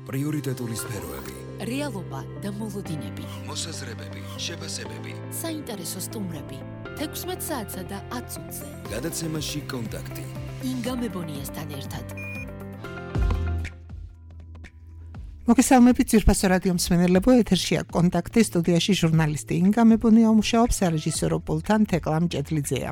პრიორიტეტული სფეროები, რეალობა და მოლოდინები, მოსაზრებები, შეფასებები, საინტერესო სტუმრები, 16 საათსა და 10 წუთზე. გადაცემაში კონტაქტი. ინგა მებონიასთან ერთად. მოგესალმებით ძვირფასო რადიო მსმენელებო, ეთერშია კონტაქტი, სტუდიაში ჟურნალისტი ინგა მებონია მუშაობს, სარეჟისორო პულტთან თეკლა მჭედლიძეა.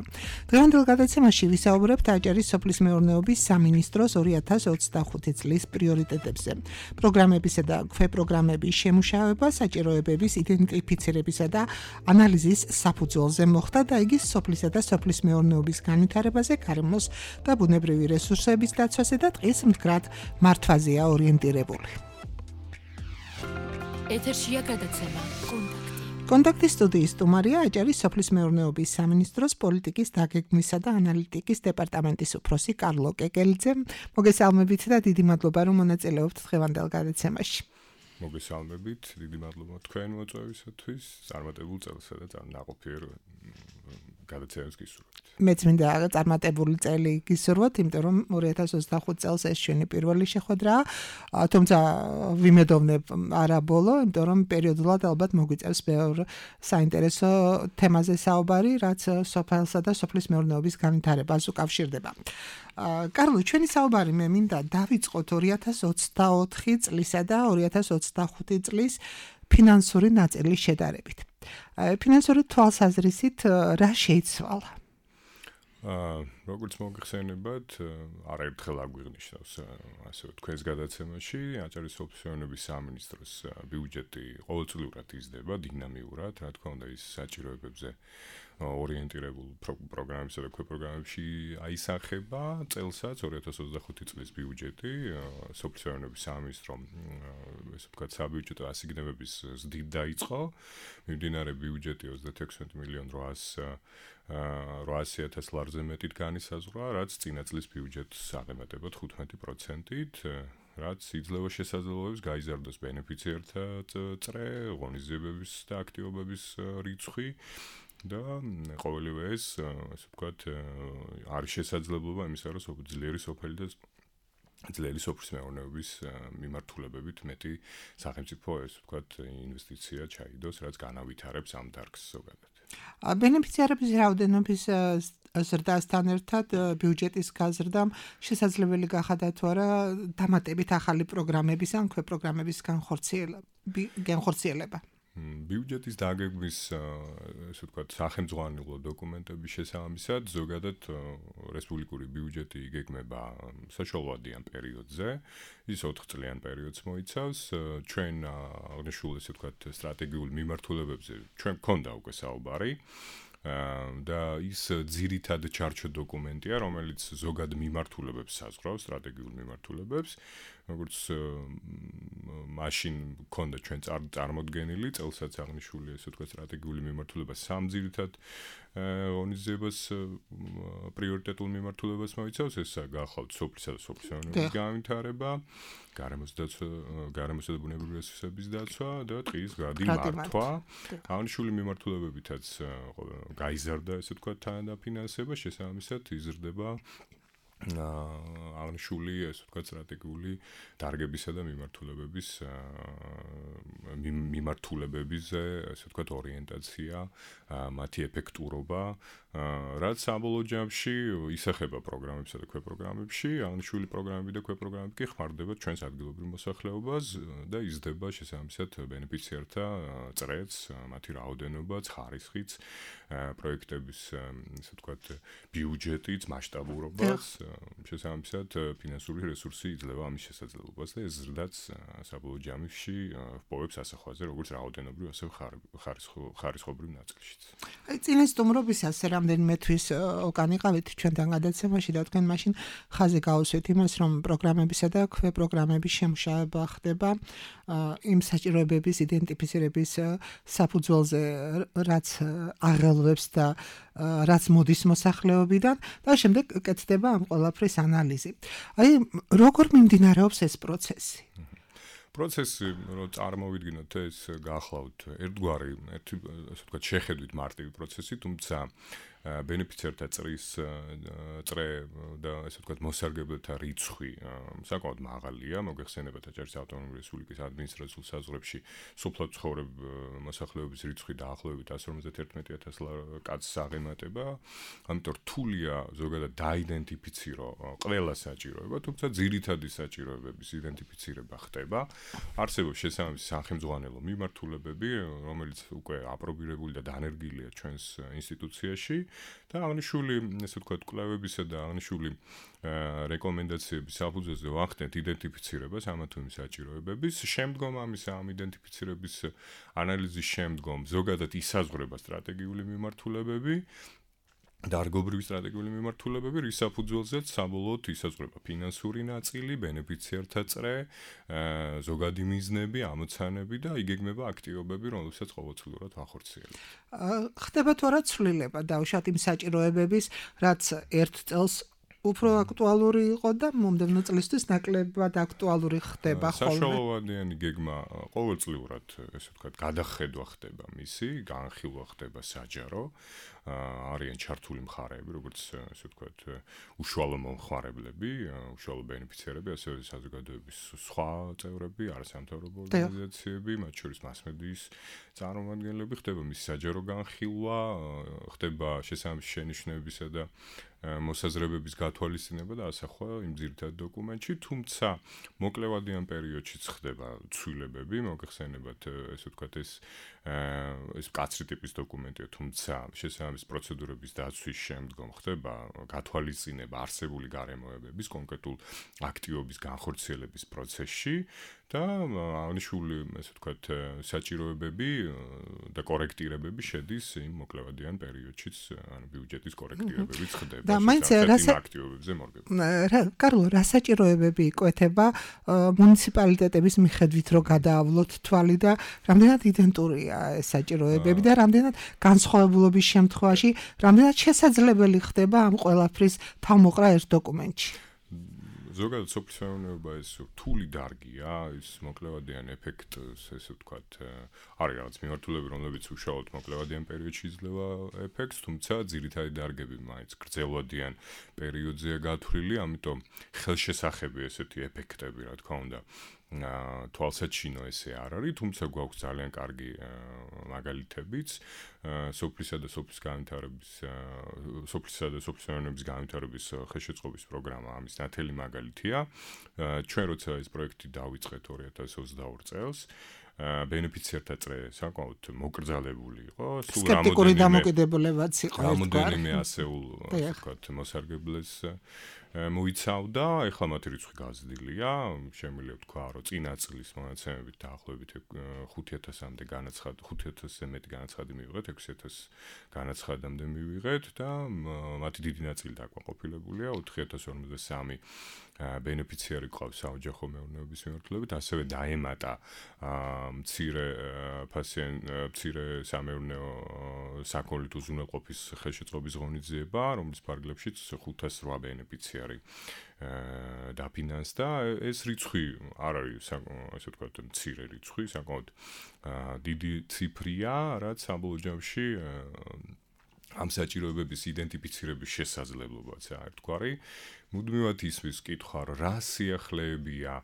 დღევანდელ გადაცემაში ვისაუბრებთ აჭარის სოფლის მეურნეობის სამინისტროს 2025 წლის პრიორიტეტებზე. პროგრამებისა და ქვეპროგრამების შემუშავება, საჭიროებების იდენტიფიცირებისა და ანალიზის საფუძველზე მოხდა და იგი სოფლისა და სოფლის მეურნეობის განვითარებაზე, გარემოს და ბუნებრივი რესურსების დაცვაზე და ტყის მდგრად მართვაზეა ორიენტირებული. ეთერშია გადაცემა კონტაქტი. კონტაქტის სტუდიის სტუმარია აჭარის სოფლის მეურნეობის სამინისტროს პოლიტიკის დაგეგმვისა და ანალიტიკის დეპარტამენტის უფროსი კარლო კეკელიძე. მოგესალმებით და დიდი მადლობა რომ მონაწილეობთ დღევანდელ გადაცემაში. მოგესალმებით, დიდი მადლობა თქვენ მოწვევისათვის, წარმატებულ წელსა და ნაყოფიერ გადაცემას გისურვებთ. მეც მინდა წარმატებული წელი გისურვოთ, იმიტომ რომ 2025 წელს ეს ჩვენი პირველი შეხვედრაა, თუმცა ვიმედოვნებ არა ბოლო, იმიტომ რომ პერიოდულად ალბათ მოგვიწევს ბევრ საინტერესო თემაზე საუბარი, რაც სოფელსა და სოფლის მეურნეობის განვითარებას უკავშირდება. კარლო, ჩვენი საუბარი მე მინდა დავიწყოთ 2024 წლისა და 2025 წლის ფინანსური ნაწილის შედარებით. ფინანსური თვალსაზრისით რა შეიცვალა? როგორც მოგხსენებათ, არაერთხელ აგვიღნიშნავს ასე თქვენს გადაცემაში, აჭარის სოფლის მეურნეობის სამინისტროს ბიუჯეტი ყოველწლიურად იზრდება დინამიურად, რა თქმა უნდა, ის საჭიროებებზე ორიენტირებულ პროგრამებსა და ქვეპროგრამებში აისახება. წელსაც 2025 წლის ბიუჯეტი სოფლის მეურნეობის სამინისტრომ ესე ვთქვათ საბიუჯეტო ასიგნებების ზრდით დაიწყო. მიმდინარე ბიუჯეტი 36.800.000 ლარზე მეტით განისაზღვრა, რაც წინა წლის ბიუჯეტს აღემატება 15%-ით, რაც იძლევა შესაძლებლობებს გაიზარდოს ბენეფიციერთა წრე, ღონისძიებების და აქტივობების რიცხვი. და ყოველივე ეს, ასე ვთქვათ, არის შესაძლებლობა იმისა, რომ ძლიერი სოფელი და ძლიერი სოფლის მეურნეობის მიმართულებებით მეტი სახელმწიფო, ასე ვთქვათ, ინვესტიცია ჩაიდოს, რაც განავითარებს ამ დარგს ზოგადად. ბენეფიციარების რაოდენობის ზრდასთან ერთად ბიუჯეტის გაზრდამ შესაძლებელი გახადა თუ არა დამატებით ახალი პროგრამების ან ქვეპროგრამების განხორციელება? ბიუჯეტის დაგეგმვის, ასე ვთქვათ, სახელმძღვანელო დოკუმენტების შესაბამისად, ზოგადად რესპუბლიკური ბიუჯეტი იგეგმება საშუალოვადიან პერიოდზე, ის 4 წლიან პერიოდს მოიცავს. ჩვენ აღნიშნულ, ასე ვთქვათ, სტრატეგიულ მიმართულებებზე ჩვენ გქონდა უკვე საუბარი. და ის ძირითად ჩარჩო დოკუმენტია, რომელიც ზოგად მიმართულებებს საზღვრავს, სტრატეგიულ მიმართულებებს, როგორც მაშინ გქონდა ჩვენ წარმოდგენილი, წელსაც აღნიშნული, ასე ვთქვათ, სტრატეგიული მიმართულება სამ ძირითად ღონისძიებას პრიორიტეტულ მიმართულებას მოიცავს, ესაა გახლავთ სოფლისა და სოფლის მეურნეობის განვითარება, გარემოსა და ბუნებრივი რესურსების დაცვა და ტყის გარდი მართვა. აღნიშნული მიმართულებებითაც გაიზარდა, ესე ვთქვათ, თანადაფინანსება, შესაბამისად იზრდება აღნიშნული, ესე ვთქვათ, სტრატეგიული დარგებისა და მიმართულებებზე, ესე ვთქვათ, ორიენტაცია, მათი ეფექტურობა, რაც საბოლოო ჯამში ისახება პროგრამებსა და ქვეპროგრამებში, აღნიშნული პროგრამები და ქვეპროგრამები კი ხმარდება ჩვენს ადგილობრივ მოსახლეობას და იზრდება შესაბამისად ბენეფიციერთა წრეც, მათი რაოდენობაც, ხარისხიც, პროექტების, ესე ვთქვათ, ბიუჯეტიც, მასშტაბურობაც, შესაბამისად ფინანსური რესურსი იძლევა ამის შესაძლებლობას და ეს ზრდაც საბოლოო ჯამში ჰპოვებს ასახვაზე, როგორც რაოდენობრივ, ასევე ხარისხობრივ ნაწილშიც. წინა სტუმრობისას რამდენიმე თვის უკან იყავით ჩვენთან გადაცემაში და თქვენ მაშინ ხაზი გაუსვით იმას, რომ პროგრამებისა და ქვეპროგრამების შემუშავება ხდება იმ საჭიროებების იდენტიფიცირების საფუძველზე, რაც აღელვებს და რაც მოდის მოსახლეობიდან და შემდეგ კეთდება ამ ყველაფრის ანალიზი. აი, როგორ მიმდინარეობს ეს პროცესი? პროცესი, რომ წარმოვიდგინოთ, ეს გახლავთ ერთგვარი, ასე ვთქვათ, შეხედვით მარტივი პროცესი, თუმცა ბენეფიციართა წრის წრე და ესე ვთქვათ მოსარგებლეთა რიცხვი საკმაოდ მაღალია, მოგეხსენებათ აჭარის ავტონომიური რესპუბლიკის ადმინისტრაციულ საზღვრებში სოფლად ცხოვრებ მოსახლეობის რიცხვი დაახლოებით 151,000 კაცს აღემატება, ამიტომ რთულია ზოგადად დაიდენტიფიცირო ყველა საჭიროება, თუმცა ძირითადი საჭიროებების იდენტიფიცირება ხდება. არსებობს შესაბამისი სახელმძღვანელო მიმართულებები, რომელიც უკვე აპრობირებული და დანერგილია ჩვენს ინსტიტუციაში და აღნიშნული, ესე ვთქვათ, კვლევებისა და აღნიშნული რეკომენდაციების საფუძველზე ვახდენთ იდენტიფიცირებას ამა თუ იმ საჭიროებების. შემდგომ ამისა ამ იდენტიფიცირების ანალიზის შემდგომ ზოგადად ისაზღვრება სტრატეგიული მიმართულებები, დარგობრივი სტრატეგიული მიმართულებები, რის საფუძველზეც საბოლოოდ ისაზღვრება ფინანსური ნაწილი, ბენეფიციართა წრე, ზოგადი მიზნები, ამოცანები და იგეგმება აქტივობები, რომლებსაც ყოველწლიურად ვახორციელებთ. ხდება თუ არა ცვლილება დაუშვათ იმ საჭიროებების, რაც ერთ წელს უფრო აქტუალური იყო და მომდევნო წლისთვის ნაკლებად აქტუალური ხდება ხოლმე. საშუალოვადიანი გეგმა ყოველწლიურად, ესე ვთქვათ, გადახედვა ხდება მისი, განხილვა ხდება საჯარო. არიან ჩართული მხარეები, როგორც ესე ვთქვათ, უშუალო მომხმარებლები, უშუალო ბენეფიციარები, ასევე საზოგადოების სხვა წევრები, არასამთავრობო ორგანიზაციები, მათ შორის მასმედიის წარმომადგენლები, ხდება მისი საჯარო განხილვა, ხდება შესაბამისი შენიშვნებისა და მოსაზრებების გათვალისწინება და ასახვა იმ ძირითად დოკუმენტში, თუმცა მოკლევადიან პერიოდშიც ხდება ცვლილებები, მოგეხსენებათ, ესე ვთქვათ, ეს მკაცრი ტიპის დოკუმენტია, თუმცა შესაბამის პროცედურების დაცვის შემდგომ ხდება გათვალისწინება არსებული გარემოებების კონკრეტულ აქტივობის განხორციელების პროცესში და აღნიშნული, ესე ვთქვათ, საჭიროებები და კორექტირებები შედის იმ მოკლევადიან პერიოდშიც, ანუ ბიუჯეტის კორექტირებებიც ხდება. და მაინც აქტივობებზე მორგება. კარლო, რა საჭიროებები იკვეთება მუნიციპალიტეტების მიხედვით, რომ გადაავლოთ თვალი და რამდენად იდენტურია ეს საჭიროებები და რამდენად განსხვავებულობის შემთხვევაში, რამდენად შესაძლებელი ხდება ამ ყველაფრის თავმოყრა ერთ დოკუმენტში. ზოგადად სოფლის მეურნეობა ეს რთული დარგია, ის მოკლევადიან ეფექტს, ესე ვთქვათ, არის რაღაც მიმართულები, რომლებიც უშუალოდ მოკლევადიან პერიოდში იძლევა ეფექტს, თუმცა ძირითადი დარგები მაინც გრძელვადიან პერიოდზეა გათვლილი, ამიტომ ხელშესახები ესეთი ეფექტები, რა თქმა უნდა, თვალსაჩინო ესე არ არის, თუმცა გვაქვს ძალიან კარგი მაგალითებიც, სოფლისა და სოფლის განვითარების განვითარების ხელშეწყობის პროგრამა ამის ნათელი მაგალითია. ჩვენ როცა ეს პროექტი დავიწყეთ 2022 წელს, ბენეფიციართა წრე საკმაოდ მოკრძალებული იყო, სულ სკეპტიკური დამოკიდებულებაც იყო რამოდენიმე ასეულ, ვთქვათ, მოსარგებლეს მოიცავდა, ეხლა მათი რიცხვი გაზრდილია, შემიძლია ვთქვა, რომ წინა წლის მონაცემებით დაახლოებით 5,000-მდე განაცხადი, 5,000-ზე მეტი განაცხადი მივიღეთ, 6,000 განაცხადამდე მივიღეთ და მათი დიდი ნაწილი დაკმაყოფილებულია, 4,053 ბენეფიციარი ყავს საოჯახო მეურნეობის მიმართულებით, ასევე დაემატა მცირე სამეურნეო საქონლით უზრუნველყოფის ხელშეწყობის ღონისძიება, რომლის ფარგლებშიც 508 ბენეფიციარი დაფინანსდა. ეს რიცხვი არ არის, ასე ვთქვათ, მცირე რიცხვი, საკმაოდ დიდი ციფრია, რაც საბოლოო ჯამში ამ საჭიროებების იდენტიფიცირების შესაძლებლობაც არის ერთგვარი. მუდმივად ისმის კითხვა, რა სიახლეებია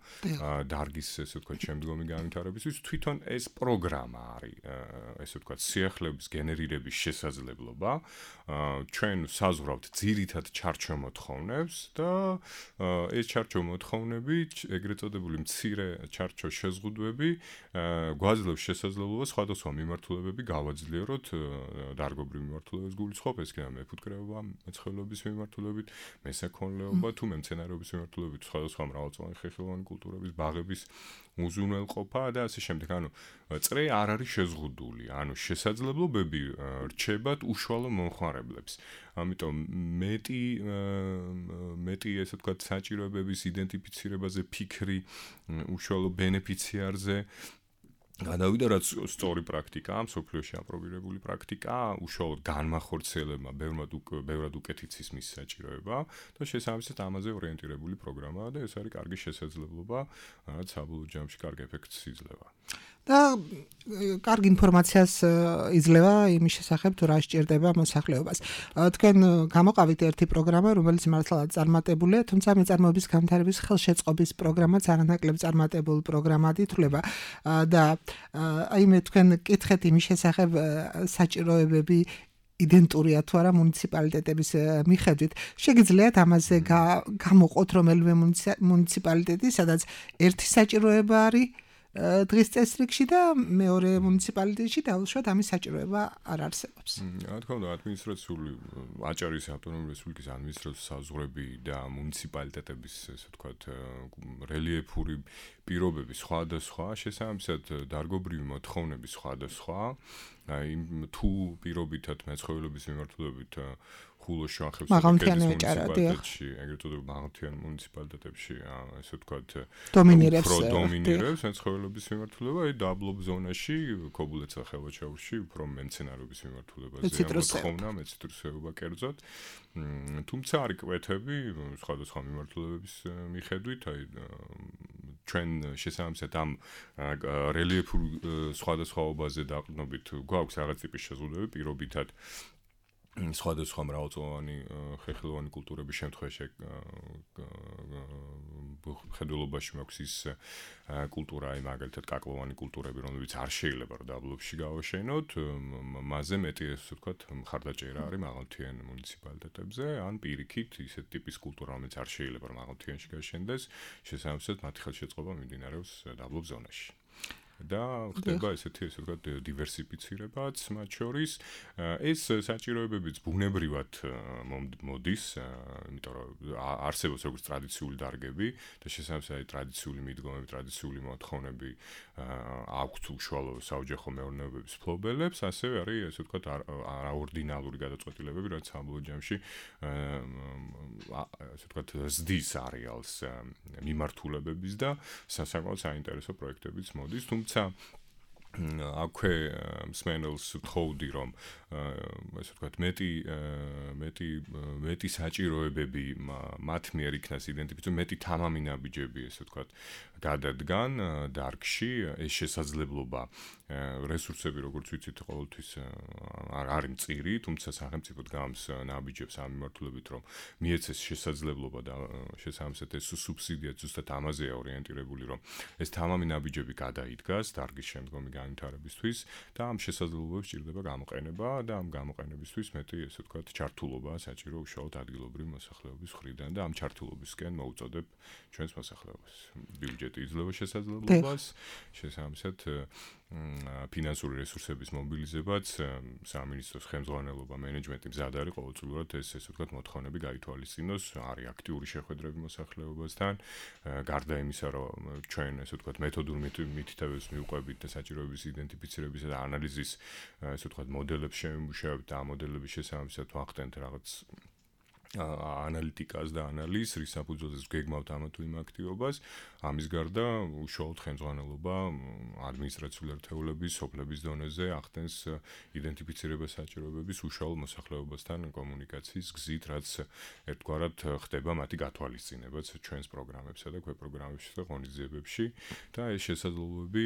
დარგის, ესე ვთქვათ, შემდგომი განვითარებისთვის, თვითონ ეს პროგრამა არის, ესე ვთქვათ, სიახლეების გენერირების შესაძლებლობა. ჩვენ საზღვრავთ ძირითად ჩარჩომოთხოვნებს და ეს ჩარჩომოთხოვნები, ეგრეთ წოდებული მცირე ჩარჩო შეზღუდვები გვაძლევს შესაძლებლობას სხვადასხვა მიმართულებები გავაძლიეროთ, დარგობრივ მიმართულებებს გულისხმობ, ეს კიდევ მეფუტკრეობა, მეცხოველეობის მიმართულებით, მესაქონლეობა თუ მემცენარეობის მიმართულებით, სხვადასხვა მრავალწლოვანი ხერხემლოვანი კულტურების, ბაღების უზრუნველყოფა და ასე შემდეგ. ანუ წრე არ არის შეზღუდული, ანუ შესაძლებლობები რჩებათ უშუალო მომხმარებლებს. ამიტომ მეტი ესე ვთქვათ, საჭიროებების იდენტიფიცირებაზე ფიქრი უშუალო ბენეფიციარზე გადავიდა, რაც სწორი პრაქტიკაა, მსოფლიოში აპრობირებული პრაქტიკაა, უშუალოდ განმახორციელებმა ბევრად უკეთიცის მის საჭიროება და შესაბამისად ამაზე ორიენტირებული პროგრამაა და ეს არის კარგი შესაძლებლობა, რაც საბოლოო ჯამში კარგ ეფექტს იძლევა. და კარგი ინფორმაციას იძლევა იმის შესახებ თუ რა სჭირდება მოსახლეობას. თქვენ გამოყავით ერთი პროგრამა, რომელიც მართლაც წარმატებულია, თუმცა მეწარმოების განვითარების ხელშეწყობის პროგრამაც არანაკლებ წარმატებულ პროგრამად ითვლება და აი მე თქვენ კითხეთ იმის შესახებ საჭიროებები იდენტურია თუ არა მუნიციპალიტეტების მიხედვით. შეგიძლიათ ამაზე გამოყოთ რომელიმე მუნიციპალიტეტი, სადაც ერთი საჭიროება არის დღის წესრიგში და მეორე მუნიციპალიტეტში დაუშვათ ამის საჭიროება არ არსებობს. რა თქმა უნდა, ადმინისტრაციული აჭარის ავტონომიური რესპუბლიკის ადმინისტრაციული საზღვრები და მუნიციპალიტეტების, ასე ვთქვათ, რელიეფური პირობები სხვადასხვა, შესაბამისად დარგობრივი მოთხოვნები სხვადასხვა. აი თუ პირობითად მეცხოველების მიმართულებით ხულოს შუახევს მუნიციპალიტეტში, ეგრეთ წოდებულ მაღალმთიან მუნიციპალიტეტებში, ასე ვთქვათ, დომინირებს მეცხოველების მიმართულება, აი დაბლობ ზონაში, ქობულეთსა და ხელვაჩაურში უფრო მემცენარეობის მიმართულებაზე მოთხოვნა, მეციტრუსეობა კერძოდ. თუმცა არის კვეთები სხვადასხვა მიმართულებების მიხედვით, აი ჩვენ შესაბამისად ამ რელიეფურ სხვადასხვაობაზე დაყრდნობით გვაქვს რაღაც ტიპის შეზღუდვები პირობითად სხვადასხვა მრავალწლოვანი ხეხილოვანი კულტურების შემთხვევაში ხედულობაში მაქვს ის კულტურა, აი მაგალითად კაკლოვანი კულტურები, რომლებიც არ შეიძლება დაბლობში გავაშენოთ, მასზე მეტი ასე ვთქვათ მხარდაჭერა არის მაღალმთიან მუნიციპალიტეტებზე, ან პირიქით ისეთ ტიპის კულტურა, რომელიც არ შეიძლება მაღალმთიანში გაშენდეს, შესაბამისად მათი ხელშეწყობა მიმდინარეობს დაბლობ ზონაში. და ხდება ესეთი ასე ვთქვათ დივერსიფიცირებაც მათ შორის ეს საჭიროებებიც ბუნებრივად მოდის, იმიტომ რომ არსებობს როგორც ტრადიციული დარგები და შესაბამისად ტრადიციული მიდგომები, ტრადიციული მოთხოვნები აქვთ უშუალო საოჯახო მეურნეობების ფლობელებს, ასევე არის ასე ვთქვათ არაორდინალური გადაწყვეტილებები, რაც საბოლოო ჯამში ასე ვთქვათ ზდის არეალს მიმართულებების და საკმაოდ საინტერესო პროექტებიც მოდის, თუმცა აქვე მსმენელს ვთხოვდი, რომ ასე ვთქვათ მეტი საჭიროებები მათ მიერ იქნას იდენტიფიცირებული, მეტი თამამი ნაბიჯები, ასე ვთქვათ, გადადგან დარგში, ეს შესაძლებლობა რესურსები, როგორც ვიცით, ყოველთვის არის მწირი, თუმცა სახელმწიფო დგამს ნაბიჯებს ამ მიმართულებით, რომ მიეცეს შესაძლებლობა და შესაბამისად ეს სუბსიდია ზუსტად ამაზეა ორიენტირებული, რომ ეს თამამი ნაბიჯები გადაიდგას დარგის შემდგომი განვითარებისთვის და ამ შესაძლებლობებს ჭირდება გამოყენება და ამ გამოყენებისთვის მეტი, ესე ვთქვათ, ჩართულობა საჭირო უშუალოდ ადგილობრივი მოსახლეობის მხრიდან და ამ ჩართულობისკენ მოუწოდებ ჩვენს მოსახლეობას. ბიუჯეტი იძლევა შესაძლებლობას, შესაბამისად ფინანსური რესურსების მობილიზებაც სამინისტროს ხელმძღვანელობა, მენეჯმენტი მზად არის ყოველწლიურად ესე ვთქვათ მოთხოვნები გაითვალისწინოს, არის აქტიური შეხვედრები მოსახლეობასთან, გარდა იმისა, რომ ჩვენ ესე ვთქვათ მეთოდურ მითითებებს მივყვებით და საჭიროების იდენტიფიცირებისა და ანალიზის ესე ვთქვათ მოდელებს შევიმუშავებთ და ამ მოდელების შესაბამისად ვახდენთ რაღაც ანალიტიკას და ანალიზს, რის საფუძველზეც გეგმავთ ამა თუ იმ აქტივობას, ამის გარდა უშუალოდ ხელმძღვანელობა ადმინისტრაციული ერთეულების, სოფლების დონეზე ახდენს იდენტიფიცირებას საჭიროებების უშუალო მოსახლეობასთან კომუნიკაციის გზით, რაც ერთგვარად ხდება მათი გათვალისწინებაც ჩვენს პროგრამებსა და ქვეპროგრამებში და ღონისძიებებში და ეს შესაძლებლობები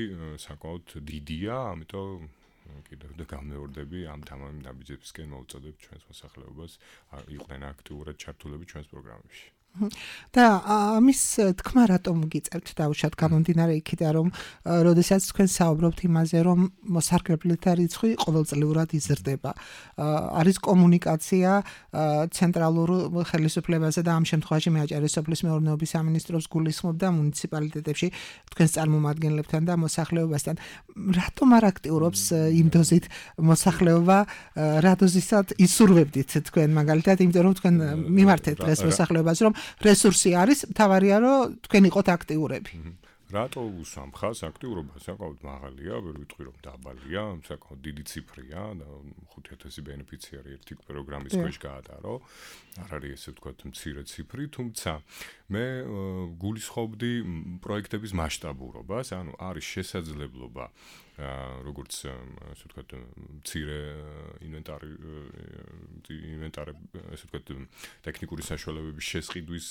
საკმაოდ დიდია, ამიტომ კიდევ და გამეორდები ამ თამამი ნაბიჯებისკენ მოუწოდებ ჩვენს მოსახლეობას იყვნენ აქტიურად ჩართულები ჩვენს პროგრამებში. და ამის თქმა რატომ გიწევთ დაუშვათ გამომდინარე იქიდან, რომ როდესაც თქვენ საუბრობთ იმაზე, რომ მოსახლეობათა რიცხვი ყოველწლიურად იზრდება. არის კომუნიკაცია ცენტრალურ ხელისუფლებაზე და ამ შემთხვევაში მე აჭარის სოფლის მეურნეობის სამინისტროს გულისხმობ და მუნიციპალიტეტებში თქვენს წარმომადგენლებთან და მოსახლეობასთან. რატომ არ აქტიურობს იმ დოზით მოსახლეობა, რა დოზისად ისურვებდით თქვენ მაგალითად, იმიტომ რომ თქვენ მიმართეთ დღეს მოსახლეობას, რომ რესურსი არის, თავარია რომ თქვენ იყოთ აქტიურები. რატო უსამხას აქტიურობა საკმაოდ მაღალია, ვერ ვიტყვი რომ დაბალია, საკმაოდ დიდი ციფრია და 5000 ბენეფიციარი ერთი პროგრამის ქვეშ გაატარო. არ არის ესე ვთქვათ მცირე ციფრი, თუმცა მე გულისხმობდი პროექტების მასშტაბურობას, ანუ არის შესაძლებლობა როგორც ასე ვთქვათ მცირე ინვენტარი ასე ვთქვათ ტექნიკური საშუალებების შესყიდვის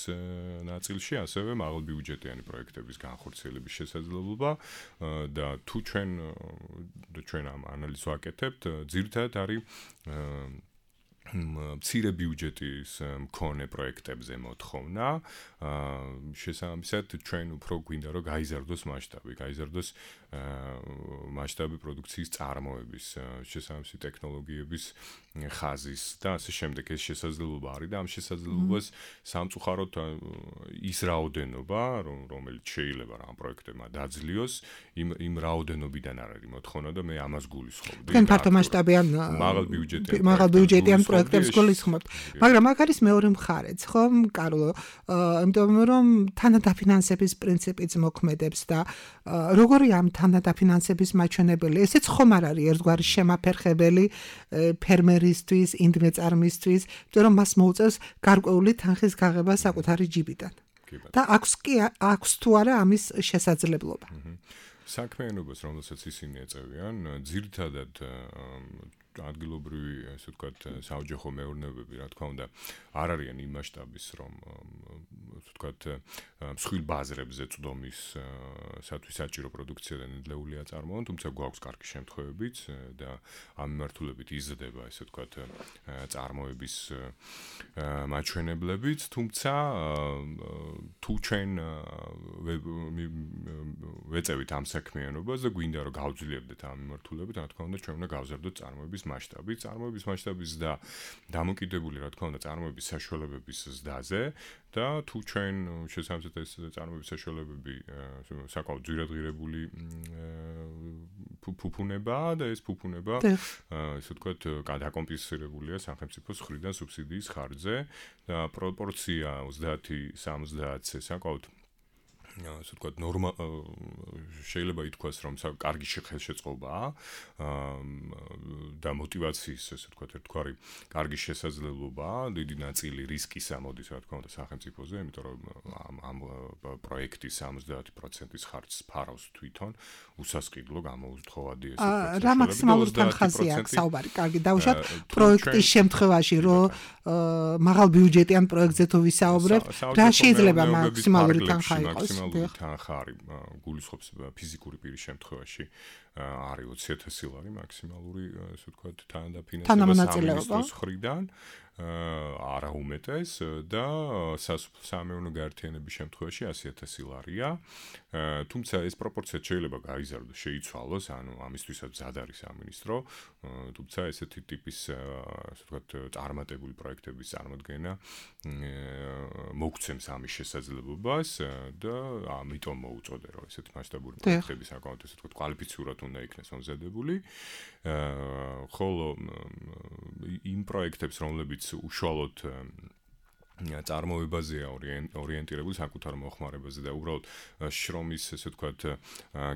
ნაწილში, ასევე მაღალბიუჯეტიანი პროექტების განხორციელება განხორციელების შესაძლებლობა და თუ ჩვენ ამ ანალიზს ვაკეთებთ, ძირითადად არის მცირე ბიუჯეტის მქონე პროექტებზე მოთხოვნა. შესაბამისად, ჩვენ უფრო გვინდა რომ გაიზარდოს მასშტაბი პროდუქციის წარმოების, შესაბამისი ტექნოლოგიების ხაზის და ასე შემდეგ. ეს შესაძლებლობა არის და ამ შესაძლებლობას სამწუხაროდ ის რაოდენობა, რომელიც შეიძლება რა ამ პროექტებმა დაძლიოს, იმ რაოდენობიდან არ არის მოთხოვნა და მე ამას გულისხმობდი. თქვენ ფართო მასშტაბიან მაღალ ბიუჯეტიან პროექტებს გულისხმობთ. მაგრამ აქ არის მეორე მხარეც, ხო, კარლო? იმიტომ რომ თანადაფინანსების პრინციპიც მოქმედებს და როგორი ამ თანადაფინანსების მაჩვენებელი, ესეც ხომ არ არის ერთგვარი შემაფერხებელი ფერმერისთვის, ინდმეწარმისთვის, იმიტომ რომ მას მოუწევს გარკვეული თანხის გაღება საკუთარი ჯიბიდან. და აქვს თუ არა ამის შესაძლებლობა. საქმიანობას, რომელსაც ისინი ეწევიან, ძირითადად ადგილობრივი, ასე ვთქვათ, საოჯახო მეურნეობები, რა თქმა უნდა, არ არიან იმ მასშტაბის, რომ ასე ვთქვათ, მსხვილ ბაზრებზე წვდომისათვის საჭირო პროდუქცია და ნედლეულია წარმოონ, თუმცა გვაქვს კარგი შემთხვევებიც და ამ მიმართულებით იზრდება, ასე ვთქვათ, წარმოების მაჩვენებლებიც, თუმცა თუ ჩვენ ვეწევით ამ საქმიანობას და გვინდა რომ გავძლიებდეთ ამ მიმართულებით, რა თქმა უნდა, ჩვენ უნდა გავზარდოთ წარმოების მასშტაბის და დამოკიდებული, რა თქმა უნდა, წარმოების საშუალებების ზრდაზე და თუ ჩვენ შესაბამისად ეს წარმოების საშუალებები საკმაოდ ძვირადღირებული ფუფუნებაა და ეს ფუფუნება ასე ვთქვათ, დაკომპენსირებულია სახელმწიფოს მხრიდან სუბსიდიის ხარჯზე და პროპორცია 30-70-ზე საკმაოდ ასე ვთქვათ, შეიძლება ითქვას, რომ კარგი ხელშეწყობაა და мотиваციის, ასე ვთქვათ, ერთგვარი კარგი შესაძლებლობაა, დიდი ნაწილი რისკისა მოდის, რა თქმა უნდა, სახელმწიფოზე, იმიტომ რომ ამ პროექტის 70%-ის ხარჯს ფარავს თვითონ უსასყიდლო გამოუცხოვადი ესე ვთქვათ. რა მაქსიმალური თანხაზია აქ საუბარი? კარგი, დავუშვათ პროექტის შემთხვევაში, რომ მაღალ ბიუჯეტიან პროექტზე თუ ვისაუბრებთ, რა შეიძლება მაქსიმალური თანხა იყოს? თანხა არის გულისხმობს ფიზიკური პირის შემთხვევაში არის 20,000 ლარი მაქსიმალური, ასე ვთქვათ, თანადაფინანსება ხრიდან არა უმეტეს და სამეურნეო გაერთიანების შემთხვევაში 100,000 ლარია. თუმცა ეს პროპორცია შეიძლება გაიზარდოს, შეიცვალოს, ანუ ამისთვისაც მზად არის სამინისტრო, თუმცა ესეთი ტიპის, ასე ვთქვათ, წარმატებული პროექტების წარმოდგენა მოგცემს ამის შესაძლებლობას და ამიტომ მოუწოდე, რომ ესეთი მასშტაბური პროექტები საკმაოდ, ასე ვთქვათ, კვალიფიცურად უნდა იქნეს მომზადებული. ხოლო იმ პროექტებს, რომლებიც უშუალოდ წარმოებაზეა ორიენტირებული საკუთარ მოხმარებაზე და უბრალოდ შრომის, ესე ვთქვათ,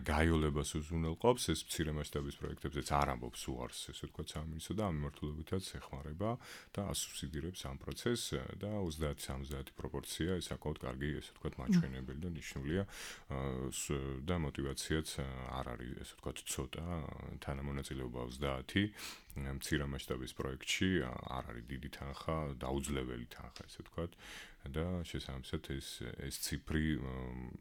გაიოლებას უზრუნველყოფს, ეს მცირე მასშტაბის პროექტებზეც არ ამბობს უარს, ესე ვთქვათ, სამინისტრო და ამ მიმართულებითაც ეხმარება და ასუბსიდირებს ამ პროცესს და 30-70 პროპორცია ეს საკმაოდ კარგი, ესე ვთქვათ, მაჩვენებელი და ნიშნულია და мотиваციაც არ არის, ესე ვთქვათ, ცოტა თანამონაწილეობა 30 მცირე მასშტაბის პროექტში არ არის დიდი თანხა, დაუძლეველი თანხა, ესე ვთქვათ, და შესაბამისად ეს ციფრი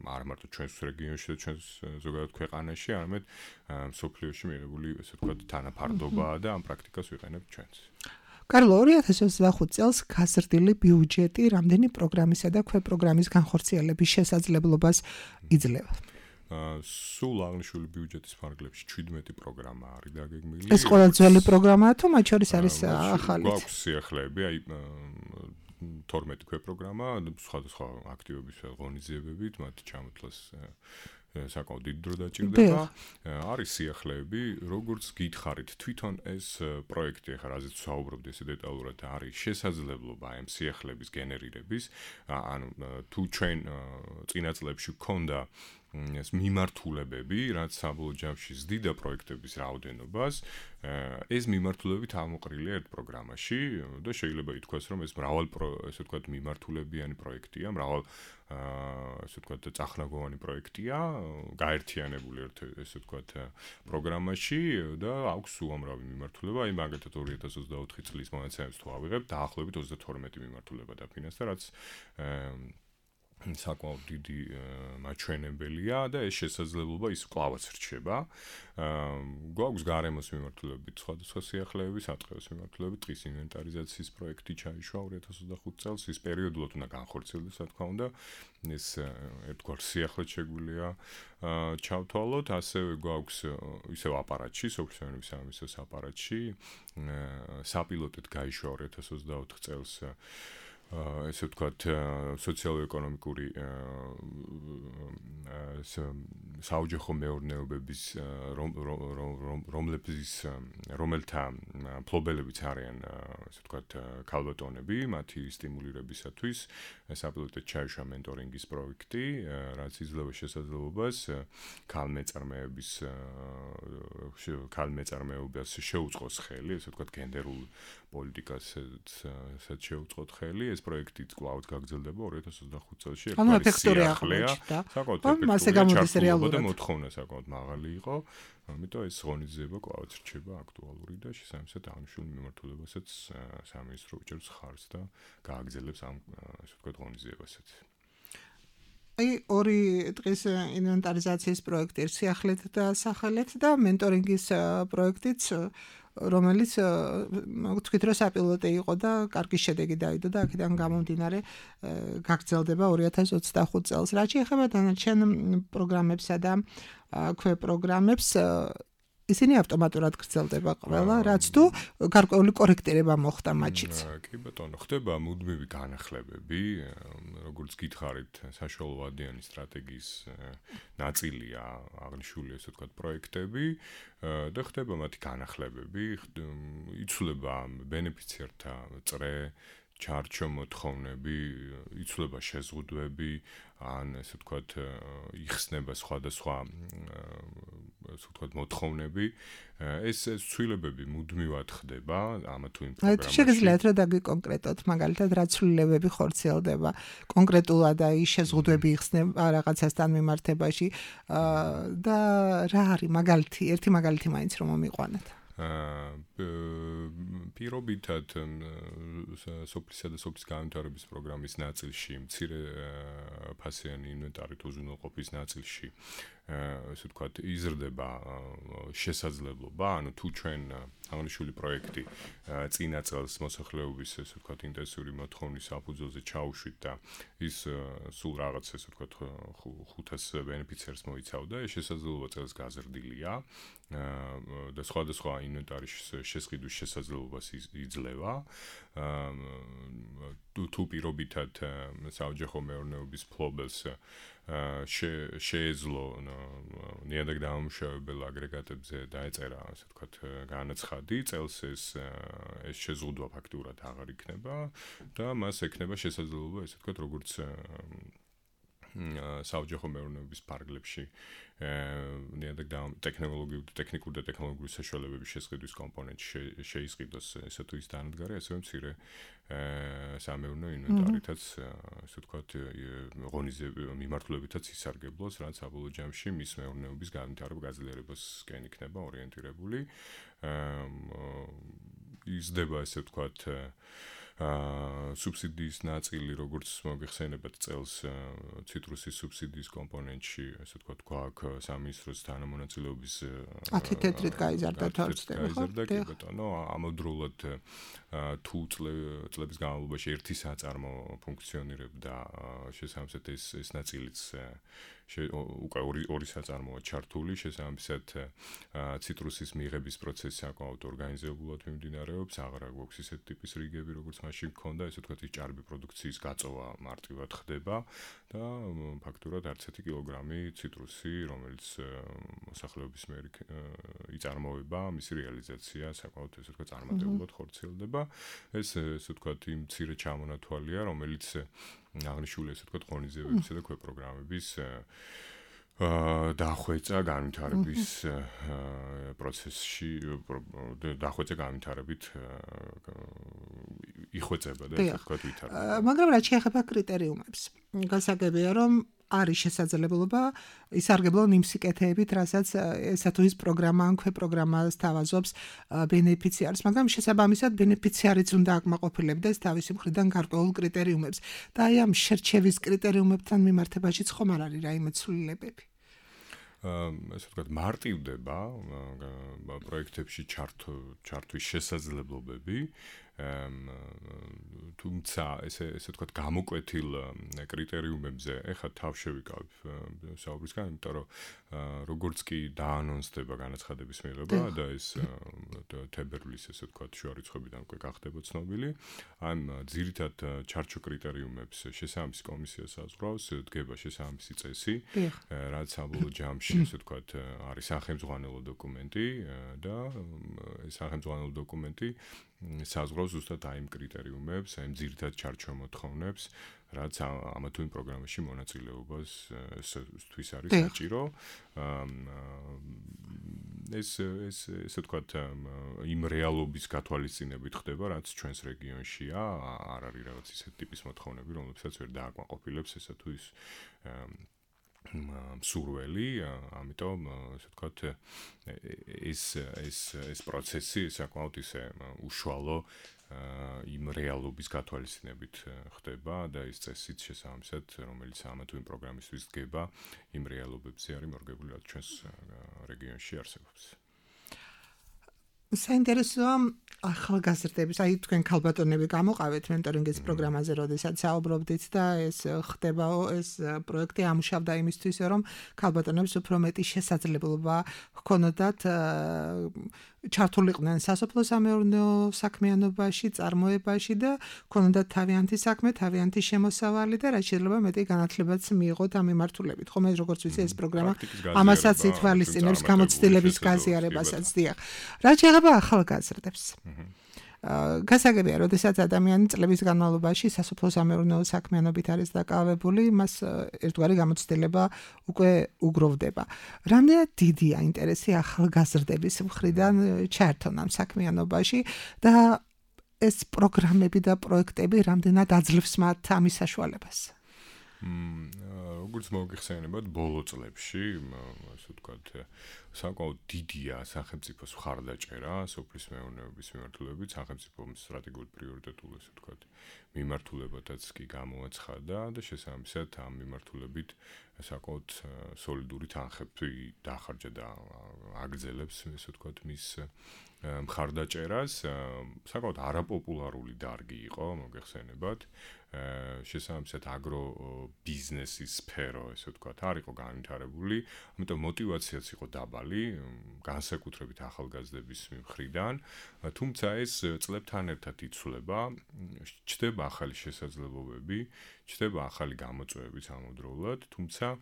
არ მარტო ჩვენს რეგიონში და ჩვენს ზოგადად ქვეყანაში, არამედ მსოფლიოში მიღებული, ესე ვთქვათ, თანაფარდობაა და ამ პრაქტიკას ვიყენებთ ჩვენც. კარლო, 2025 წელს გაზრდილი ბიუჯეტი რამდენი პროგრამისა და ქვეპროგრამის განხორციელების შესაძლებლობას იძლევა? სულ აღნიშნული ბიუჯეტის ფარგლებში 17 პროგრამა არის დაგეგმილი. ეს ყველა ძველი პროგრამაა თუ მათ შორის არის ახალი? გვაქვს სიახლეები, აი 12 ქვეპროგრამა, სხვადასხვა აქტივობის ღონისძიებებით, მათ ჩამოთვლას საკმაოდ დიდი დრო დაჭირდება. არის სიახლეები, როგორც გითხარით, თვითონ ეს პროექტი, ახლა რაზეც ვსაუბრობთ ესე დეტალურად, არის შესაძლებლობა ამ სიახლეების გენერირების, ანუ თუ ჩვენ წინა წლებში გქონდა ეს მიმართულებები, რაც საბოლოო ჯამში ზდიდა პროექტების რაოდენობას, ეს მიმართულებებით ამოყრილია ერთ პროგრამაში და შეიძლება ითქვას, რომ ეს ესე ვთქვათ, მიმართულებიანი პროექტია, ესე ვთქვათ, წახნაგოვანი პროექტია, გაერთიანებული ერთ, ესე ვთქვათ, პროგრამაში და აქვს უამრავი მიმართულება, აი მაგალითად 2024 წლის მონაცემებს თუ ავიღებთ, დაახლოებით 32 მიმართულება დაფინანსდა, რაც საკმაოდ დიდი მაჩვენებელია და ეს შესაძლებლობა ის კლავაც რჩება. გვაქვს გარემოს მიმართულებით სხვადასხვა სიახლეების, ატყეოს მიმართულებით დღის ინვენტარიზაციის პროექტი ჩაიშვა 2025 წელს, ის პერიოდულად უნდა განხორციელდეს, რა თქმა უნდა. ეს ერთგვარ სიახლეც შეგვიძლია ჩავთვალოთ, ასევე გვაქვს ისევ აპარატში, სოფლის მეურნეობის სამინისტროს აპარატში, საპილოტოდ გაიშვა 2024 წელს ესე ვთქვათ, სოციალურ-ეკონომიკური საოჯახო მეურნეობების რომელთა ფლობელებიც არიან, ესე ვთქვათ, ქალბატონები, მათი სტიმულირებისათვის საპილოტოდ ჩაიშვა მენტორინგის პროექტი, რაც იძლევა შესაძლებლობას ქალმეწარმეობას შეუწყოს ხელი, ესე ვთქვათ, გენდერულ პოლიტიკასაც შეუწყოთ ხელი, ეს პროექტიც კვლავ გაგრძელდება 2025 წელს. ანუ ეფექტური აღმოჩნდა. მასე გამოდის რეალურად. და მოთხოვნა საკმაოდ მაღალი იყო, ამიტომ ეს ღონისძიება კვლავ რჩება აქტუალური და შესაბამისად აღნიშნულ მიმართულებასაც სამინისტრო უჭერს ხარს და გააგრძელებს ამ ასე ვთქვათ ღონისძიებასაც. აი ორი დღის ინვენტარიზაციის პროექტი სიახლეთ და სახელეთ და მენტორინგის პროექტიც რომელიც თქვით რომ საპილოტე იყო და კარგი შედეგი დაიდო და აქედან გამომდინარე გაგრძელდება 2025 წელს. რაც შეეხება დანარჩენ პროგრამებსა და ქვეპროგრამებს ისინი ავტომატურად გრძელდება ყველა, რაც თუ გარკვეული კორექტირება მოხდა მათშიც. კი ბატონო, ხდება მუდმივი განახლებები, როგორც გითხარით, საშუალო ვადიანი სწრატეგიის ნაწილია აღნიშნული ესე ვთქვათ პროექტები და ხდება მათი განახლებები, იცვლება ბენეფიციართა წრე, ჩარჩო მოთხოვნები, იცვლება შეზღუდვები, ან ესე ვთქვათ, იხსნება სხვადასხვა ასე ვთქვათ მოთხოვნები. ეს ცვლილებები მუდმივად ხდება ამა თუ იმ პროგრამაში. შეგიძლიათ რა დაგიკონკრეტოთ, მაგალითად რა ცვლილებები ხორციელდება კონკრეტულად აი შეზღუდვები იხსნება რაღაცასთან მიმართებაში და რა არის მაგალითი, ერთი მაგალითი მაინც რომ მომიყვანოთ. პირობითად სოფლისა და სოფლის განვითარების პროგრამის ნაწილში მცირე ფასიანი ინვენტარით უზრუნველყოფის ნაწილში ესე ვთქვათ იზრდება შესაძლებლობა, ანუ თუ ჩვენ აღნიშნული პროექტი წინა წელს მოსახლეობის ესე ვთქვათ ინტენსიური მოთხოვნის საფუძველზე ჩაუშვით და ის სულ რაღაც ესე ვთქვათ 500 ბენეფიციარს მოიცავდა, ეს შესაძლებლობა წელს გაზრდილია და სხვადასხვა ინვენტარის შესყიდვის შესაძლებლობას იძლევა. თუ პირობითად საოჯახო მეურნეობის ფლობელს შეეძლო ნიადაგ დამამუშავებელ აგრეგატებზე დაეწერა, ასე ვთქვათ, განაცხადი, წელს ეს შეზღუდვა ფაქტურად აღარ იქნება და მას ექნება შესაძლებლობა, ასე ვთქვათ, როგორც საოჯახო მეურნეობის ფარგლებში ნიადაგ ტექნიკური და ტექნოლოგიური საშუალებების შესყიდვის კომპონენტი შეისყიდოს ესე თუ ის დანადგარი, ასევე მცირე სამეურნეო ინვენტარითაც ასე ვთქვათ ღონისძიებების მიმართულებითაც ისარგებლოს, რაც საბოლოო ჯამში მის მეურნეობის განვითარება გაძლიერებასკენ იქნება ორიენტირებული. იზრდება ესე ვთქვათ სუბსიდიის ნაწილი, როგორც მოგეხსენებათ წელს ციტრუსის სუბსიდიის კომპონენტში, ასე ვთქვათ, გვაქვს სამინისტროს თანამონაწილეობის 10 თეთრით გაიზარდა თორცდება, ხო? კი ბატონო, ამავდროულად თუ წლების განმავლობაში ერთი საწარმო ფუნქციონირებდა, შესაბამისად ეს ნაწილიც უკვე ორი საწარმოა ჩართული, შესაბამისად ციტრუსის მიღების პროცესი საკმაოდ ორგანიზებულად მიმდინარეობს, აღარა გვაქვს ისეთი ტიპის რიგები, როგორც მაშინ გქონდა, ესე ვთქვათ, ის ჭარბი პროდუქციის გაწოვა მარტივად ხდება და ფაქტურად არც ერთი კილოგრამი ციტრუსი, რომელიც მოსახლეობის მიერ იწარმოება, მისი რეალიზაცია საკმაოდ ესე ვთქვათ წარმატებულად ხორციელდება. ეს ესე ვთქვათ იმ მცირე ჩამონათვალია, რომელიც აღნიშნული ესე ვთქვათ ღონისძიებებისა და ქვეპროგრამების დახვეწა განვითარების პროცესში დახვეწა განვითარებით იხვეწება და ესე ვთქვათ ვითარდება. მაგრამ რაც შეეხება კრიტერიუმებს, გასაგებია რომ არის შესაძლებლობა ისარგებლონ იმ სიკეთეებით, რასაც ესა თუ ის პროგრამა ან ქვეპროგრამა სთავაზობს ბენეფიციარს, მაგრამ შესაბამისად ბენეფიციარიც უნდა აკმაყოფილებდეს თავისი მხრიდან გარკვეულ კრიტერიუმებს. და აი ამ შერჩევის კრიტერიუმებთან მიმართებაშიც ხომ არ არის რაიმე ცვლილებები? ესე ვთქვათ, მარტივდება პროექტებში ჩართვის შესაძლებლობები, თუმცა ესე ვთქვათ, გამოკვეთილ კრიტერიუმებზე ეხლა თავ შევიკავებ საუბრისგან, იმიტომ რომ როგორც კი დაანონსდება განაცხადების მიღება და ეს თებერვლის ესე ვთქვათ შუარიცხვებიდან უკვე გახდება ცნობილი, ამ ძირითად ჩარჩო კრიტერიუმებს შესაბამისი კომისია საზღვრავს, დგება შესაბამისი წესი, რაც საბოლოო ჯამში ესე ვთქვათ არის სახელმძღვანელო დოკუმენტი და ეს სახელმძღვანელო დოკუმენტი საზღვრავს ზუსტად აი იმ კრიტერიუმებს, აი იმ ძირითად ჩარჩო მოთხოვნებს, რაც ამა თუ იმ პროგრამაში მონაწილეობას თვის არის საჭირო. ეს ვთქვათ იმ რეალობის გათვალისწინებით ხდება, რაც ჩვენს რეგიონშია, არ არის რაღაც ისეთი ტიპის მოთხოვნები, რომლებსაც ვერ დააკმაყოფილებს ესა თუ ის სურველი, ამიტომ ასე ვთქვათ ეს პროცესი საკმაოდ ისე უშუალო იმ რეალობის გათვალისწინებით ხდება და ეს წესიც შესაბამისად, რომელიც ამა თუ იმ პროგრამისთვის დგება, იმ რეალობებზე არის მორგებული, რაც ჩვენს რეგიონში არსებობს. საინტერესოა ახალგაზრდების, აი თქვენ ქალბატონები გამოყავეთ მენტორინგის პროგრამაზე, როდესაც საუბრობდით და ეს ხდება, ეს პროექტი ამუშავდა იმისთვის, რომ ქალბატონებს უფრო მეტი შესაძლებლობა ჰქონოდათ ჩართულიყვნენ სასოფლო-სამეურნეო საქმიანობაში, წარმოებაში და ჰქონოდათ თავიანთი საქმე, თავიანთი შემოსავალი და რაც შეიძლება მეტი განათლებაც მიიღოთ ამ მიმართულებით. ხომ ეს როგორც ვიცი, ეს პროგრამა ამასაც ითვალისწინებს, გამოცდილების გაზიარებასაც, დიახ. რაც შეეხება ახალგაზრდებს. გასაგებია, როდესაც ადამიანი წლების განმავლობაში სასოფლო-სამეურნეო საქმიანობით არის დაკავებული, მას ერთგვარი გამოცდილება უკვე უგროვდება. რამდენად დიდია ინტერესი ახალგაზრდების მხრიდან ჩაერთონ ამ საქმიანობაში და ეს პროგრამები და პროექტები რამდენად აძლევს მათ ამის საშუალებას? როგორც მოგიხსენებათ, ბოლო წლებში, ასე ვთქვათ, საკმაოდ დიდია სახელმწიფოს მხარდაჭერა სოფლის მეურნეობის მიმართულებით, სახელმწიფოს სტრატეგიულ პრიორიტეტულ, ასე ვთქვათ, მიმართულებათაც კი გამოაცხადა და შესაბამისად ამ მიმართულებით საკმაოდ სოლიდური თანხები დახარჯა და აგრძელებს, ასე ვთქვათ, მის მხარდაჭერას. საკმაოდ არაპოპულარული დარგი იყო, მოგეხსენებათ. შესაბამისად აგრო ბიზნესის სფერო, ესე ვთქვათ, არ იყო განვითარებული, ამიტომ мотиваციაც იყო დაბალი, განსაკუთრებით ახალგაზრდების მხრიდან, თუმცა ეს წლებთან ერთად იცვლება, ჩნდება ახალი შესაძლებლობები, ჩნდება ახალი გამოწვევებიც ამავდროულად, თუმცა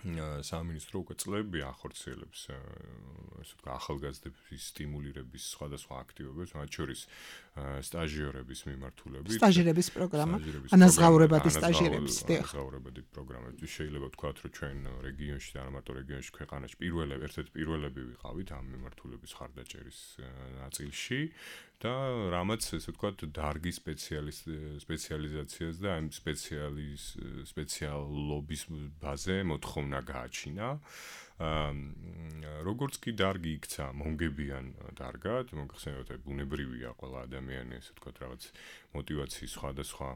სამინისტრო უკვე წლები ახორციელებს ასე ვთქვათ ახალგაზრდების სტიმულირების სხვადასხვა აქტივობებს, მათ შორის სტაჟიორების მიმართულებით. სტაჟირების პროგრამა, ანაზღაურებადი სტაჟირების, ანაზღაურებადი პროგრამები. შეიძლება ვთქვათ, რომ ჩვენ რეგიონში და არა მარტო რეგიონში, ქვეყანაში ერთ-ერთი პირველები ვიყავით ამ მიმართულების ხარდაჭერის ნაწილში და რამაც ესე ვთქვათ დარგის სპეციალიზაციას და ამ სპეციალობის ბაზე მოთხოვნა გააჩინა. როგორც კი დარგი იქცა მომგებიან დარგად, მოგხსენებათ, ბუნებრივია ყველა ადამიანი, ესე ვთქვათ, რაღაც мотиваციის სხვადასხვა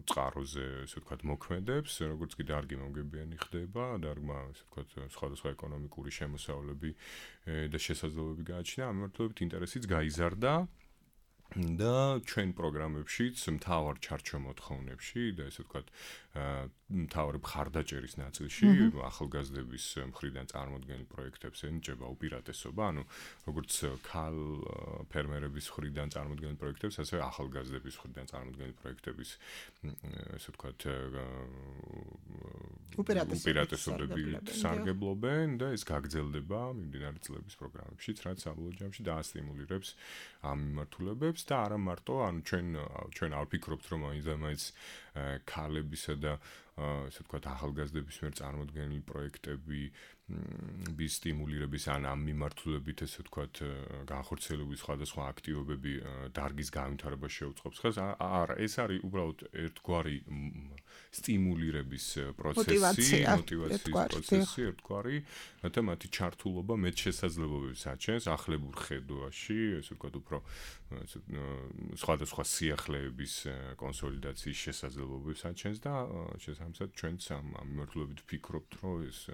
წყაროზე, ესე ვთქვათ, მოქმედებს, როგორც კი დარგი მომგებიანი ხდება, დარგმა, ესე ვთქვათ, სხვადასხვა ეკონომიკური შემოსავლები და შესაძლებლობები გააჩინა, ამ მიმართულებით ინტერესიც გაიზარდა. და ჩვენ პროგრამებშიც მთავარ ჩარჩო მოთხოვნებში და ესე ვთქვათ მთავარი მხარდაჭერის ნაწილში ახალგაზრდების მხრიდან წარმოდგენილ პროექტებს ენიჭება უპირატესობა, ანუ როგორც ქალ ფერმერების მხრიდან წარმოდგენილ პროექტებს, ასევე ახალგაზრდების მხრიდან წარმოდგენილ პროექტების ესე ვთქვათ უპირატესობები სარგებლობენ და ეს გაგრძელდება მიმდინარე წლების პროგრამებშიც, რაც საბოლოო ჯამში დაასტიმულირებს ამ მიმართულებებს და არა მარტო, ანუ ჩვენ არ ვფიქრობთ, რომ მაინც ქალებისა და ასე ვთქვათ ახალგაზრდების მიერ წარმოდგენილი პროექტები bis სტიმულირების ან ამ მიმართულებით ასე ვთქვათ განხორციელების სხვადასხვა აქტივობები დარგის განვითარებას შეუწყობს ხას არა ეს არის უბრალოდ ერთგვარი სტიმულირების პროცესი მოტივაციის პროცესი ერთგვარი რათა მათი ჩართულობა მეტ შესაძლებლობებს აჩენს ახლებურ ხედვაში ასე ვთქვათ უფრო სხვადასხვა სიახლეების კონსოლიდაციის შესაძლებლობებს აჩენს და შესაბამისად ჩვენც ამ მიმართულებით ვფიქრობთ რომ ეს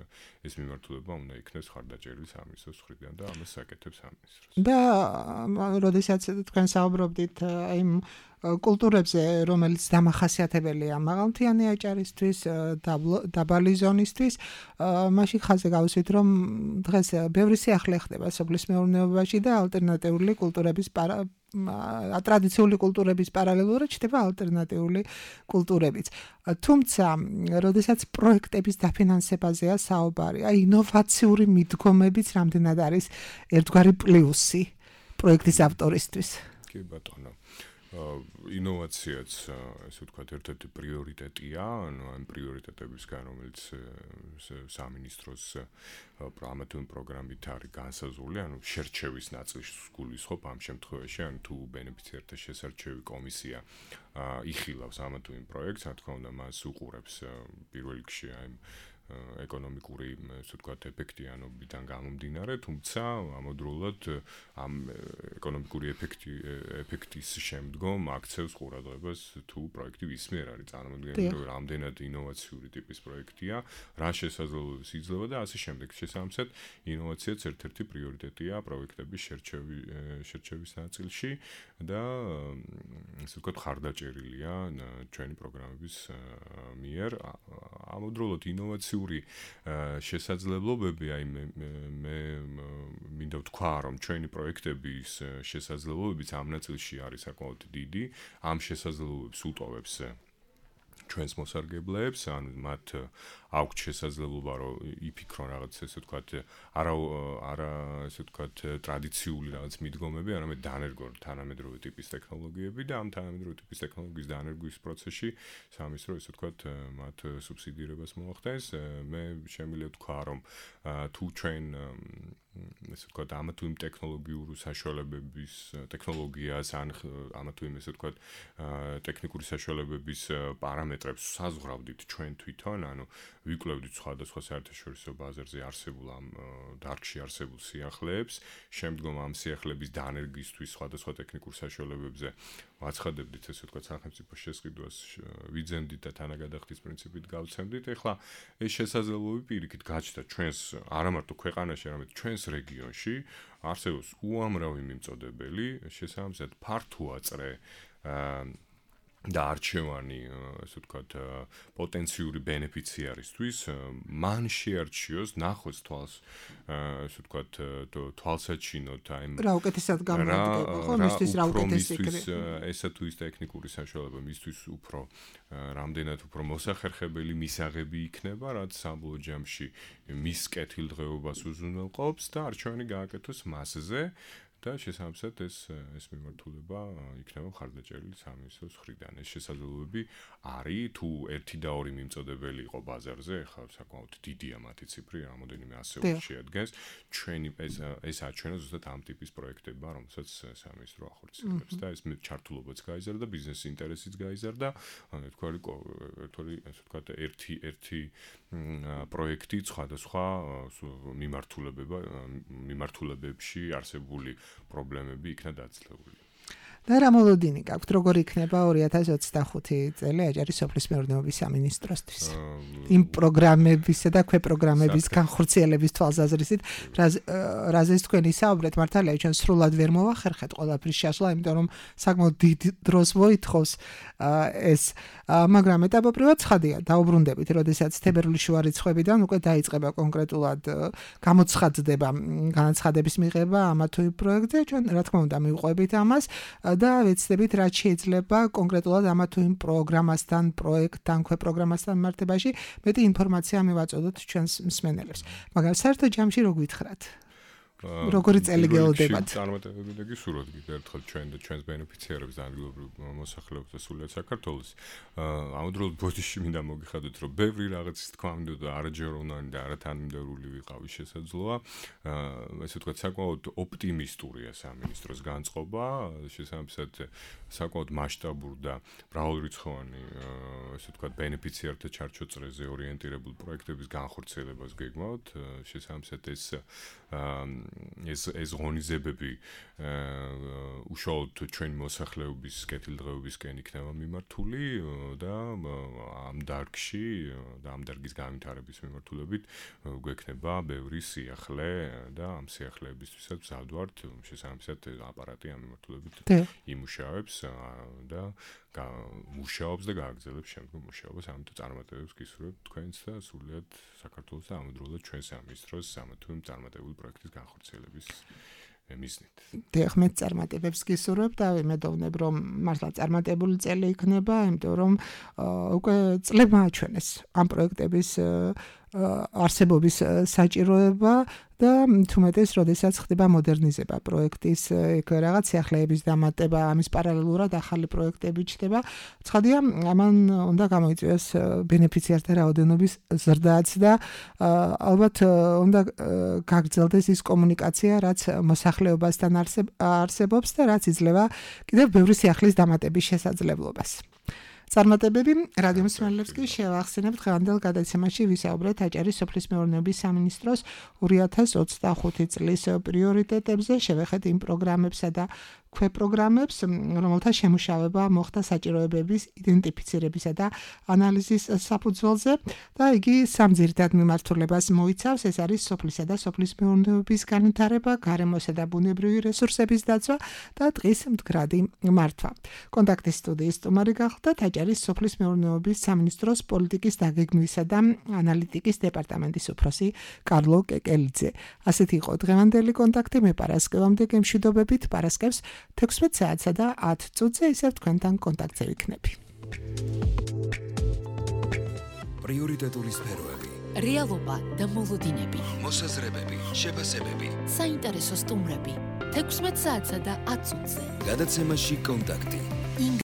მიმართულება უნდა იქნეს ხარდაჭერილი სამინისტროს მხრიდან და ამას საკეთებს სამინისტრო. და როდესაც თქვენ საუბრობდით იმ კულტურებზე, რომელიც დამახასიათებელია მაღალმთიანი აჭარისთვის, დაბალი ზონისთვის, მაშინ ხაზზე გავუსვით, რომ დღეს ბევრი სიახლე ხდება სოფლის მეურნეობაში და ალტერნატიული კულტურების ტრადიციული კულტურების პარალელურად ჩდება ალტერნატიული კულტურებიც. თუმცა, როდესაც პროექტების დაფინანსებაზეა საუბარი, ინოვაციური მიდგომებიც რამდენად არის ერთგვარი პლუსი პროექტის ავტორისთვის. კი ბატონო. ინოვაციაც ესე ვთქვათ ერთ-ერთი პრიორიტეტია, ანუ ამ პრიორიტეტებისგან რომელიც სამინისტროს ამათი პროგრამით არის განსაზღვრული, ანუ შერჩევის ნაწილს გულისხმობ ამ შემთხვევაში, ანუ თუ ბენეფიციართა შესარჩევი კომისია იხილავს ამათი პროექტს, რა თქმა უნდა მას უყურებს პირველ რიგში აი ეკონომიკური ასე ვთქვათ ეფექტიანობიდან გამომდინარე, თუმცა ამავდროულად ამ ეკონომიკური ეფექტის შემდგომ აქცევს ყურადღებას თუ პროექტი ვისმიერ არის წარმოდგენილი, რომ რამდენად ინოვაციური ტიპის პროექტია, რა შესაძლებლობებს იძლევა და ასე შემდეგ. შესაბამისად, ინოვაციაც ერთ-ერთი პრიორიტეტია პროექტების შერჩევის ნაწილში და ასე ვთქვათ ხარდაჭერილია ჩვენი პროგრამების მიერ. ამავდროულად ინოვაციური შესაძლებლობები, აი მე მინდა ვთქვა, რომ ჩვენი პროექტების შესაძლებლობებიც ამ ნაწილში არის საკმაოდ დიდი, ამ შესაძლებლობებს უტოვებს ჩვენს მოსარგებლეებს, ანუ მათ აქვთ შესაძლებლობა რომ იფიქრონ რაღაც ესე ვთქვათ, არა ესე ვთქვათ ტრადიციული რაღაც მიდგომები, არამედ დანერგონ თანამედროვე ტიპის ტექნოლოგიები და ამ თანამედროვე ტიპის ტექნოლოგიის დანერგვის პროცესში სამინისტრო ესე ვთქვათ მათ სუბსიდირებას მოახდენს. მე შემიძლია ვთქვა, რომ თუ ჩვენ ესე ვთქვათ ამა თუ იმ ტექნოლოგიური საშუალებების ტექნოლოგიას ან ამა თუ იმ ესე ვთქვათ ტექნიკური საშუალებების პარამეტრებს საზღვრავდით ჩვენ თვითონ, ანუ ვიკვლევდით სხვადასხვა საერთაშორისო ბაზარზე არსებულ ამ დარგში არსებულ სიახლეებს, შემდგომ ამ სიახლეების დანერგისთვის სხვადასხვა ტექნიკურ საშუალებებზე ვაცხადებდით ესე ვთქვათ სახელმწიფო შესყიდვას ვიძენდით და თანაგადახდის პრინციპით გავცემდით. ეხლა ეს შესაძლებლობები პირიქით გაჩნდა ჩვენს არა მარტო ქვეყანაში, არამედ ჩვენს რეგიონში არსებობს უამრავი მიმწოდებელი, შესაბამისად ფართოაწრე და არჩევანი, ასე ვთქვათ, პოტენციური ბენეფიციარისთვის, მან შეარჩიოს ნახოს თვალს, ასე ვთქვათ, თვალსაჩინოთ აი რა უკეთესად გამოდგება, ხო, მისთვის რა უკეთესი ესა თუ ის ტექნიკური საშუალება მისთვის უფრო რამდენად უფრო მოსახერხებელი მისაღები იქნება, რაც საბოლოო ჯამში მის კეთილდღეობას უზრუნველყოფს და არჩევანი გააკეთოს მასზე. და შესაბამისად ეს მიმართულება იქნება ხარდაჭერილი სამინისტროს მხრიდან. ეს შესაძლებლობები არის თუ 1 და 2 მიმწოდებელი იყო ბაზარზე, ხა საკმაოდ დიდია მათი ციფრი, რამოდენიმე ასეული შეადგენს. ჩვენი ეს აჩვენა ზუსტად ამ ტიპის პროექტებმა, რომელსაც სამინისტრო ახორციელებს და ეს ჩართულობაც გაიზარდა, ბიზნეს ინტერესიც გაიზარდა, ანუ ასე ვთქვათ, ერთი პროექტი სხვადასხვა მიმართულებებში არსებული პრობლემები იქნა დაცლეული. და რა მოლოდინი გაქვთ, როგორ იქნება 2025 წელი აჭარის სოფლის მეურნეობის სამინისტროსთვის? იმ პროგრამებისა და ქვეპროგრამების განხორციელების თვალსაზრისით, რაზეც თქვენ ისაუბრეთ, მართალია ჩვენ სრულად ვერ მოვახერხეთ ყველაფრის შაშლა, იმიტომ რომ საკმაოდ დიდ დროს მოითხოვს ეს, მაგრამ ეტაპობრივად ცხადია, დაუბრუნდებით, როდესაც თებერვლის შუა რიცხვებიდან უკვე დაიწყება კონკრეტულად გამოცხადდება განაცხადების მიღება ამა თუ იმ პროექტზე, ჩვენ რა თქმა უნდა მივყვებით ამას და ვეცდებით რაც შეიძლება კონკრეტულად ამა თუ იმ პროგრამასთან, პროექტთან, ქვეპროგრამასთან მიმართებაში მეტი ინფორმაცია მივაწოდოთ ჩვენს მსმენელებს. მაგრამ საერთო ჯამში რო გითხრათ? როგორი წელი გეოდებათ? წარმატებები და გისურვოთ ერთხელ ჩვენ და ჩვენს ბენეფიციარებს და ადგილობრივ მოსახლეობას და სულიად საქართველოს. ამავდროულად ბოდიში მინდა მოგიხადოთ, რომ ბევრი რაღაცის თქვა მინდოდა არაჯეროვნანი და არათანმიმდევრული ვიყავის შესაძლოა. ესე ვთქვათ, საკმაოდ ოპტიმისტურია სამინისტროს განწყობა, შესაბამისად საკმაოდ მასშტაბურ და მრავალრიცხოვანი ესე ვთქვათ ბენეფიციართა ჩარჩოწრეზე ორიენტირებულ პროექტების განხორციელებას გეგმავთ. შესაბამისად ეს ღონისძიებები უშუალოდ ჩვენი მოსახლეობის კეთილდღეობისკენ იქნება მიმართული და ამ დარგში და ამ დარგის განვითარების მიმართულებით გვექნება ბევრი სიახლე და ამ სიახლეებისთვისაც ვზადვართ შესაბამისად აპარატი ამ მიმართულებით იმუშავებს და მუშაობს და გააგრძელებს შემდგომ მუშაობას. ამიტომ წარმატებებს გისურვებთ თქვენს და სულიად საქართველოს და ამავდროულად ჩვენს სამინისტროს სამართლმადიდებლო წარმატებული პროექტის განხორციელების მიზნით. დიახ, მე წარმატებებს გისურვებ და ვიმედოვნებ, რომ მართლა წარმატებული წელი იქნება, იმიტომ რომ უკვე წლებმა აჩვენეს ამ პროექტების არსებობის საჭიროება და თუმეტეს, როდესაც ხდება მოდერნიზება პროექტის, რაღაც სიახლეების დამატება, ამის პარალელურად ახალი პროექტები ჩნდება. ცხადია, ამან უნდა გამოიწვიოს ბენეფიციართა რაოდენობის ზრდაც და ალბათ უნდა გაგრძელდეს ის კომუნიკაცია, რაც მოსახლეობასთან არსებობს და რაც იძლევა კიდევ ბევრი სიახლის დამატების შესაძლებლობას. წარმატებები რადიო მსმენელებს კი შევახსენებთ დღევანდელ გადაცემაში ვისაუბრეთ აჭარის სოფლის მეურნეობის სამინისტროს 2025 წლის პრიორიტეტებზე, შევეხეთ იმ პროგრამებსა და ქვეპროგრამებს, რომელთა შემუშავება მოხდა საჭიროებების იდენტიფიცირებისა და ანალიზის საფუძველზე და იგი სამ ძირითად მიმართულებას მოიცავს. ეს არის სოფლისა და სოფლის მეურნეობის განვითარება, გარემოსა და ბუნებრივი რესურსების დაცვა და ტყის მდგრადი მართვა. კონტაქტის სტუდიის სტუმარი გახლდათ აჭარის სოფლის მეურნეობის სამინისტროს პოლიტიკის დაგეგმვისა და ანალიტიკის დეპარტამენტის უფროსი კარლო კეკელიძე. ასეთი იყო დღევანდელი კონტაქტი. მე პარასკევამდე გემშვიდობებით, პარასკევს 16 საათსა და 10 წუთზე ისევ თქვენთან კონტაქტზე ვიქნები. პრიორიტეტული სფეროები, რეალობა და მოლოდინები, მოსაზრებები, შეფასებები, საინტერესო სტუმრები 16 საათსა და 10 წუთზე. გადაცემაში კონტაქტი.